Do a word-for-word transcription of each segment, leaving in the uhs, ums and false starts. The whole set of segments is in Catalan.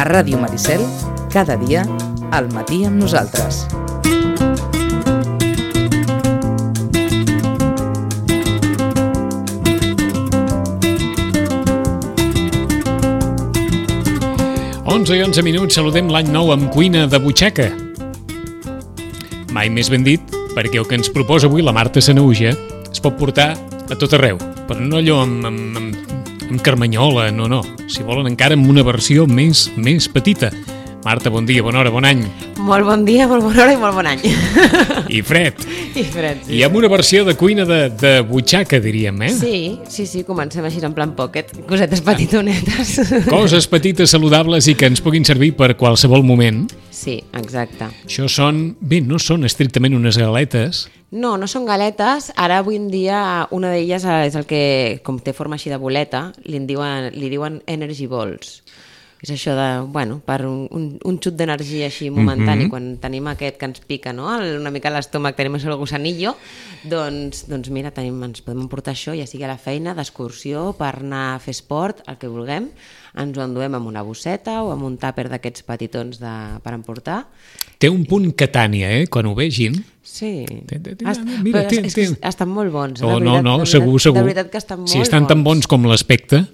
A Ràdio Maricel, cada dia, al matí amb nosaltres. onze i onze minuts, saludem l'any nou amb cuina de butxaca. Mai més ben dit, perquè el que ens proposa avui la Marta Sanaüja es pot portar a tot arreu, però no allò amb, amb, amb, amb carmanyola, no, no. Si volen encara amb una versió més, més petita. Marta, bon dia, bona hora, bon any. Molt bon dia, molt bona hora i molt bon any. I fred. I fred, sí. I amb una versió de cuina de, de butxaca, diríem, eh? Sí, sí, sí, comencem així en plan pocket, cosetes petitonetes. Coses petites, saludables i que ens puguin servir per qualsevol moment. Sí, exacte. Això són, bé, no són estrictament unes galetes. No, no són galetes. Ara, avui en dia, una d'elles és el que, com té forma així de boleta, li en diuen, li diuen energy balls. És això de, bueno, per un, un, un xut d'energia així momentani, mm-hmm. quan tenim aquest que ens pica, no? Una mica a l'estómac tenim el gusanillo, doncs, doncs mira, tenim, ens podem emportar això, ja sigui a la feina, d'excursió, per anar a fer esport, el que vulguem, ens ho enduem amb una bosseta o amb un tàper d'aquests petitons de, per emportar. Té un punt Catània, eh?, quan ho vegin. Sí, Est, mira, però és que estan molt bons. Oh, veritat, no, no, veritat, segur, segur. De veritat que estan molt si estan bons. tan bons com l'aspecte...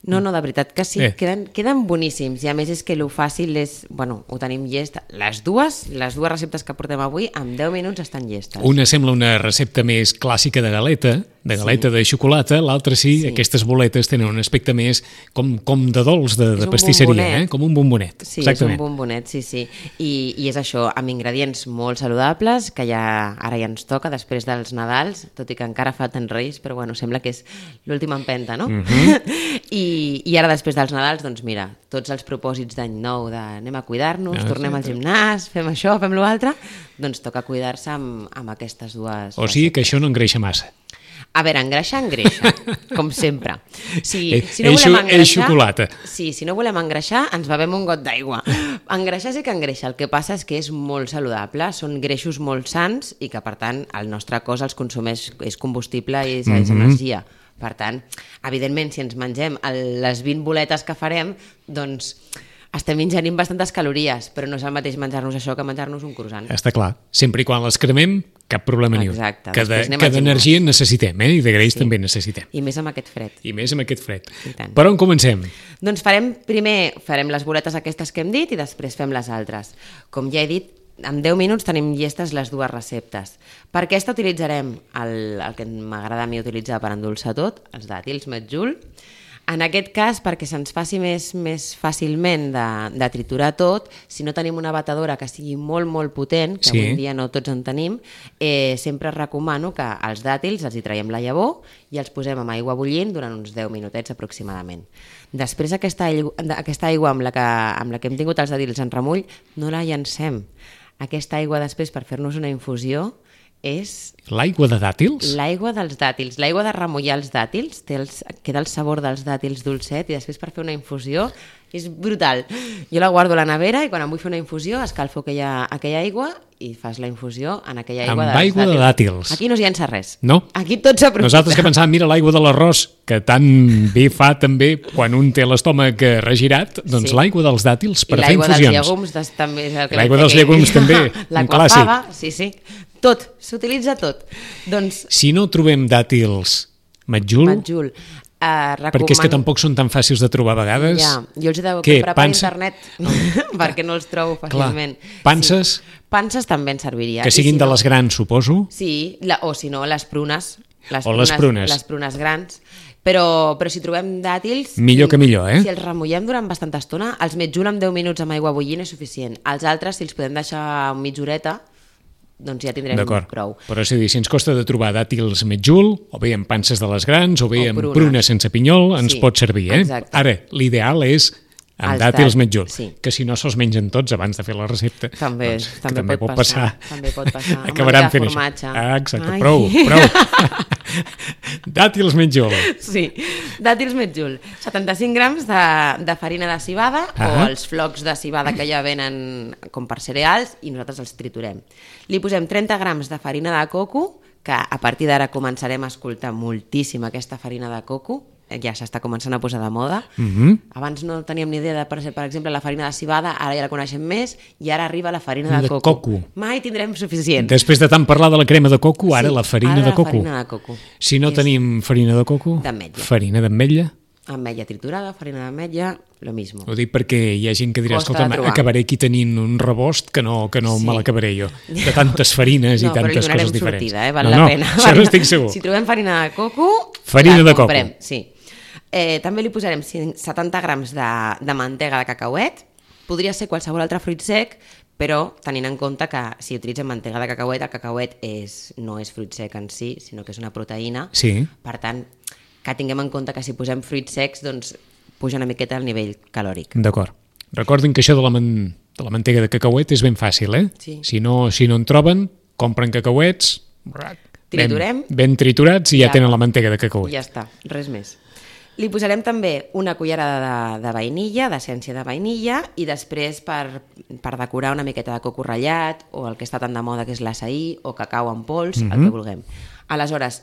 No, no, de veritat que sí, eh. queden, queden boníssims i a més és que el fàcil és, bueno, ho tenim llest, les dues, les dues receptes que portem avui en deu minuts estan llestes. Una sembla una recepta més clàssica de galeta, de galeta sí. de xocolata, l'altra sí, sí, aquestes boletes tenen un aspecte més com, com de dolç, de, de pastisseria, eh? Com un bombonet. Sí, exactament. És un bombonet, sí, sí. I, I és això, amb ingredients molt saludables, que ja ara ja ens toca després dels Nadals, tot i que encara falten Reis, però bueno, sembla que és l'última empenta, no? Mm-hmm. I, I ara després dels Nadals, doncs mira, tots els propòsits d'any nou de anem a cuidar-nos, ah, tornem sí, al gimnàs, fem això, fem l'altre, doncs toca cuidar-se amb, amb aquestes dues... O sigui que això no engreixa massa. A veure, engreixar, engreixa, com sempre. Si, eh, si no volem engreixar, és xocolata. Sí, si no volem engreixar, ens bevem un got d'aigua. Engreixar sí que engreixa, el que passa és que és molt saludable, són greixos molt sans i que, per tant, el nostre cos els consumeix, és combustible i és, mm-hmm. és energia. Per tant, evidentment, si ens mengem les vint boletes que farem, doncs... estem ingerint bastantes calories, però no és el mateix menjar-nos això que menjar-nos un croissant. Està clar. Sempre i quan les cremem, cap problema ni un. Exacte. Que, de, que d'energia necessitem, eh? I de greix sí. també necessitem. I més amb aquest fred. I més amb aquest fred. Per on comencem? Doncs farem, primer farem les boletes aquestes que hem dit i després fem les altres. Com ja he dit, en deu minuts tenim llestes les dues receptes. Per aquesta utilitzarem el, el que m'agrada a mi utilitzar per endolçar tot, els dàtils Medjool. En aquest cas, perquè se'ns faci més, més fàcilment de, de triturar tot, si no tenim una batedora que sigui molt, molt potent, que sí. avui en dia no tots en tenim, eh, sempre recomano que els dàtils els hi traiem la llavor i els posem amb aigua bullint durant uns deu minutets aproximadament. Després aquesta aigua, aquesta aigua amb, la que, amb la que hem tingut els dàtils en remull, no la llancem. Aquesta aigua després per fer-nos una infusió és... L'aigua de dàtils? L'aigua dels dàtils. L'aigua de remullar els dàtils, té els, queda el sabor dels dàtils dolcet i després per fer una infusió és brutal. Jo la guardo a la nevera i quan em vull fer una infusió escalfo aquella, aquella aigua i fas la infusió en aquella aigua amb aigua de dàtils. Aquí no s'hi llença res. No? Aquí tot s'aprofita. Nosaltres que pensàvem, mira l'aigua de l'arròs, que tan bé fa també quan un té l'estómac regirat, doncs sí. l'aigua dels dàtils per fer infusions. I l'aigua dels llegums des, també és el que l'aigua dels llegums també, un clàssic. Fava, sí, sí. Tot, s'utilitza tot. Doncs... Si no trobem dàtils Medjool... Medjool. Uh, recomano... Perquè és que tampoc són tan fàcils de trobar a vegades. Ja, jo els he de Què, comprar pansa? Per internet perquè no els trobo fàcilment. Clar. Panses? Sí. Panses també en serviria. Que siguin si de no... les grans, suposo? Sí, la... o si no, les prunes. Les o prunes, les prunes. Les prunes grans. Però, però si trobem dàtils... Millor que millor, eh? Si els remullem durant bastanta estona, els Medjool amb deu minuts amb aigua bullint és suficient. Els altres, si els podem deixar mitja horeta, doncs ja tindrem prou. Però és a dir, si ens costa de trobar dàtils Medjool, o bé amb panses de les grans, o bé o amb prunes. prunes sense pinyol, ens sí, pot servir, eh? Exacte. Ara, l'ideal és amb els dàtils Medjool, sí. que si no se'ls mengen tots abans de fer la recepta, també, doncs, també, també pot, pot passar. passar. També pot passar. Acabaran fent formatge. això. Ah, exacte, Ai. prou, prou. Dàtils Medjool. Sí, dàtils Medjool. setanta-cinc grams de, de farina de civada ah. o els flocs de civada que ja venen com per cereals i nosaltres els triturem. Li posem trenta grams de farina de coco, que a partir d'ara començarem a escoltar moltíssim aquesta farina de coco, ja s'està començant a posar de moda. Mm-hmm. Abans no teníem ni idea de, per exemple, la farina de civada, ara ja la coneixem més, i ara arriba la farina de, De coco. coco. Mai tindrem suficient. Després de tant parlar de la crema de coco, ara Sí, la farina ara de la coco. farina de coco. Si no És tenim farina de coco, d'ametlla. farina d'ametlla. Ametlla triturada, farina d'ametlla, lo mismo. Ho dic perquè hi ha gent que dirà, Costa escolta, de trobar. acabaré aquí tenint un rebost que no, que no Sí. me l'acabaré jo. De tantes farines No, i tantes però li coses diferents. sortida, eh? Val no, la no, pena. això n'estic segur. Si trobem farina de coco, Farina la de coco. comprem, sí. Eh, també li posarem setanta grams de, de mantega de cacauet. Podria ser qualsevol altre fruit sec, però tenint en compte que si utilitzem mantega de cacauet, el cacauet és, no és fruit sec en si, sinó que és una proteïna. Sí. Per tant, que tinguem en compte que si posem fruits secs, doncs puja una miqueta el nivell calòric. D'acord. Recordin que això de la, man... de la mantega de cacauet és ben fàcil, eh? Sí. Si no, si no en troben, compren cacauets, Triturem. ben, ben triturats i ja, Ja. tenen la mantega de cacauet. Ja està, res més. Li posarem també una cullerada de, de vainilla, d'essència de vainilla, i després per, per decorar una miqueta de coco ratllat, o el que està tan de moda que és l'açaí, o cacau en pols, mm-hmm. el que vulguem. Aleshores,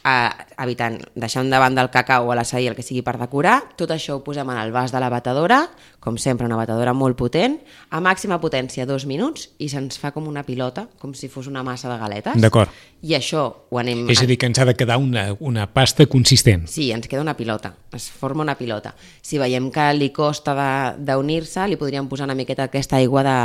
eh, evitant, deixant de banda el cacau o l'açaí, el que sigui per decorar, tot això ho posem en el vas de la batedora, com sempre una batedora molt potent, a màxima potència dos minuts, i se'ns fa com una pilota, com si fos una massa de galetes. D'acord. I això ho anem... És a dir, que ens ha de quedar una, una pasta consistent. Sí, ens queda una pilota, es forma una pilota. Si veiem que li costa d'unir-se, li podríem posar una miqueta aquesta aigua de,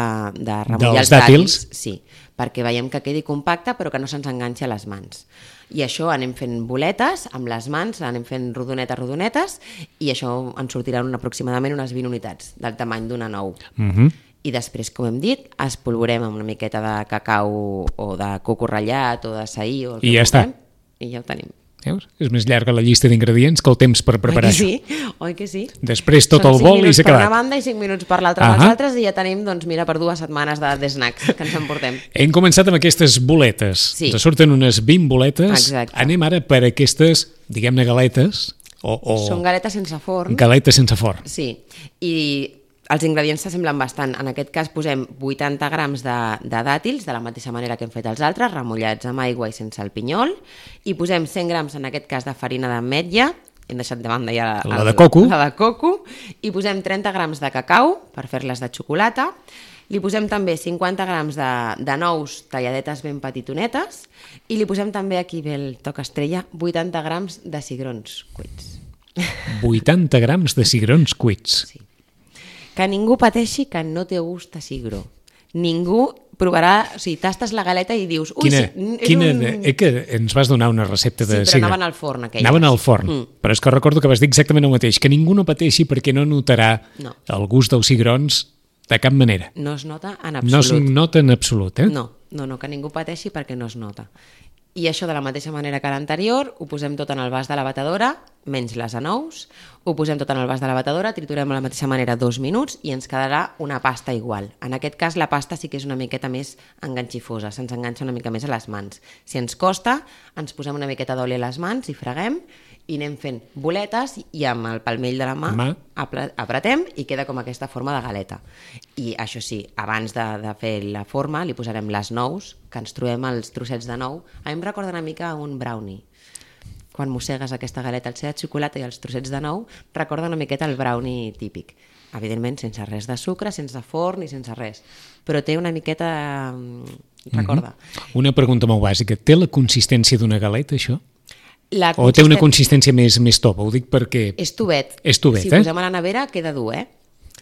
de remullar Dels els dàtils. dàtils? Sí, perquè veiem que quedi compacte però que no se'ns enganxi a les mans. I això anem fent boletes amb les mans, anem fent rodonetes, rodonetes, i això ens sortiran aproximadament unes vint unitats del tamany d'una nou. Mm-hmm. I després, com hem dit, espolvorem amb una miqueta de cacau o de coco ratllat o d'açaí o el que I ja està. vulguem, i ja ho tenim. Veus? És més llarga la llista d'ingredients que el temps per preparar Oi que això. sí? Oi que sí? Després tot Són el cinc bol i minuts s'ha per acabat. una banda i cinc minuts per l'altra amb Ahà. els altres, i ja tenim, doncs mira, per dues setmanes de, de snacks que ens emportem. Hem començat amb aquestes boletes. Sí. Ens surten unes vint boletes. Exacte. Anem ara per aquestes, diguem-ne, galetes. O, o Són galetes sense forn. galetes sense forn. Sí, i els ingredients s'assemblen bastant. En aquest cas posem vuitanta grams de, de dàtils, de la mateixa manera que hem fet els altres, remullats amb aigua i sense el pinyol, i posem cent grams, en aquest cas, de farina d'ametlla, hem deixat de banda ja La de coco. la de coco, i posem trenta grams de cacau per fer-les de xocolata, li posem també cinquanta grams de, de nous talladetes ben petitonetes, i li posem també, aquí ve el toc estrella, vuitanta grams de cigrons cuits. vuitanta grams de cigrons cuits. Sí. Que ningú pateixi que no té gust a cigró. Ningú provarà, o sigui, tastes la galeta i dius... Ui, Quina, sí, és quina, un... eh, que ens vas donar una recepta de Sí, però cigró. anaven al forn, aquelles. Anaven al forn, Mm. però és que recordo que vas dir exactament el mateix, que ningú no pateixi perquè no notarà No. el gust dels cigrons de cap manera. No es nota en No es absolut. nota en absolut, eh? No, no, no, que ningú pateixi perquè no es nota. I això de la mateixa manera que l'anterior, ho posem tot en el vas de la batedora, menys les anous, ho posem tot en el vas de la batedora, triturem de la mateixa manera dos minuts i ens quedarà una pasta igual. En aquest cas la pasta sí que és una miqueta més enganxifosa, se'ns enganxa una mica més a les mans. Si ens costa, ens posem una miqueta d'oli a les mans i freguem i anem fent boletes i amb el palmell de la mà, mà. apre- apretem i queda com aquesta forma de galeta. I això sí, abans de, de fer la forma li posarem les nous, que ens trobem els trossets de nou. A mi em recorda una mica un brownie. Quan mossegues aquesta galeta, el ser de xocolata i els trossets de nou, recorda una miqueta el brownie típic. Evidentment, sense res de sucre, sense forn i sense res. Però té una miqueta... Recorda. Mm-hmm. Una pregunta molt bàsica. Té la consistència d'una galeta, això? La O té una consisten- consistència més, més top? Ho dic perquè... És tubet. És tubet, si eh? ho posem a la nevera queda dur, eh?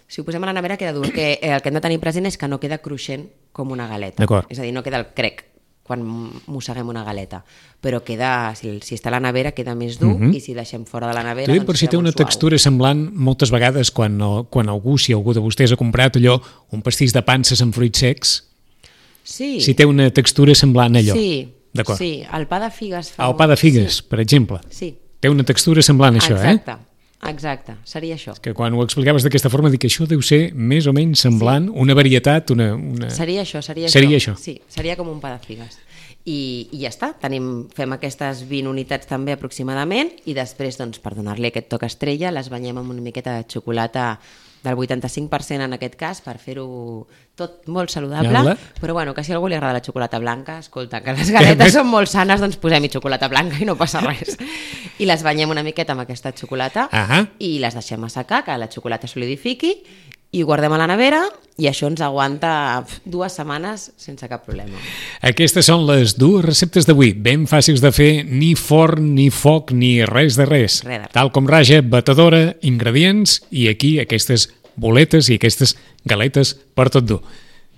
Si ho posem a la nevera queda dur, que el que hem de tenir present és que no queda cruixent com una galeta. D'acord. És a dir, no queda el crec quan mosseguem una galeta, però queda, si, si està a la nevera queda més dur, Mhm. i si deixem fora de la nevera... T'ho dic doncs per si queda té una molt suau. textura semblant moltes vegades quan, el- quan algú, si algú de vostès ha comprat allò, un pastís de panses amb fruits secs, Sí, si té una textura semblant a allò. sí, D'acord. sí, el pa de figues fa... El pa de figues, per exemple. Sí, Té una textura semblant a això, eh? exacte, exacte, seria això. Que quan ho explicaves d'aquesta forma dic que això deu ser més o menys semblant, una varietat, una... una... Seria això, seria, Seria això. això. Sí, seria com un pa de figues. I, i ja està, tenim, fem aquestes vint unitats també aproximadament, i després, doncs, per donar-li aquest toc estrella, les banyem amb una miqueta de xocolata del vuitanta-cinc per cent en aquest cas, per fer-ho tot molt saludable, Gala. però bueno, que si a algú li agrada la xocolata blanca, escolta, que les galetes són molt sanes, doncs posem-hi xocolata blanca i no passa res. I les banyem una miqueta amb aquesta xocolata Ahà. i les deixem assecar, que la xocolata solidifiqui, i ho guardem a la nevera i això ens aguanta dues setmanes sense cap problema. Aquestes són les dues receptes d'avui, ben fàcils de fer, ni forn, ni foc, ni res de res. Res de res. Tal com raja, batedora, ingredients i aquí aquestes boletes i aquestes galetes per tot dur.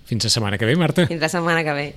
Fins la setmana que ve, Marta. Fins la setmana que ve.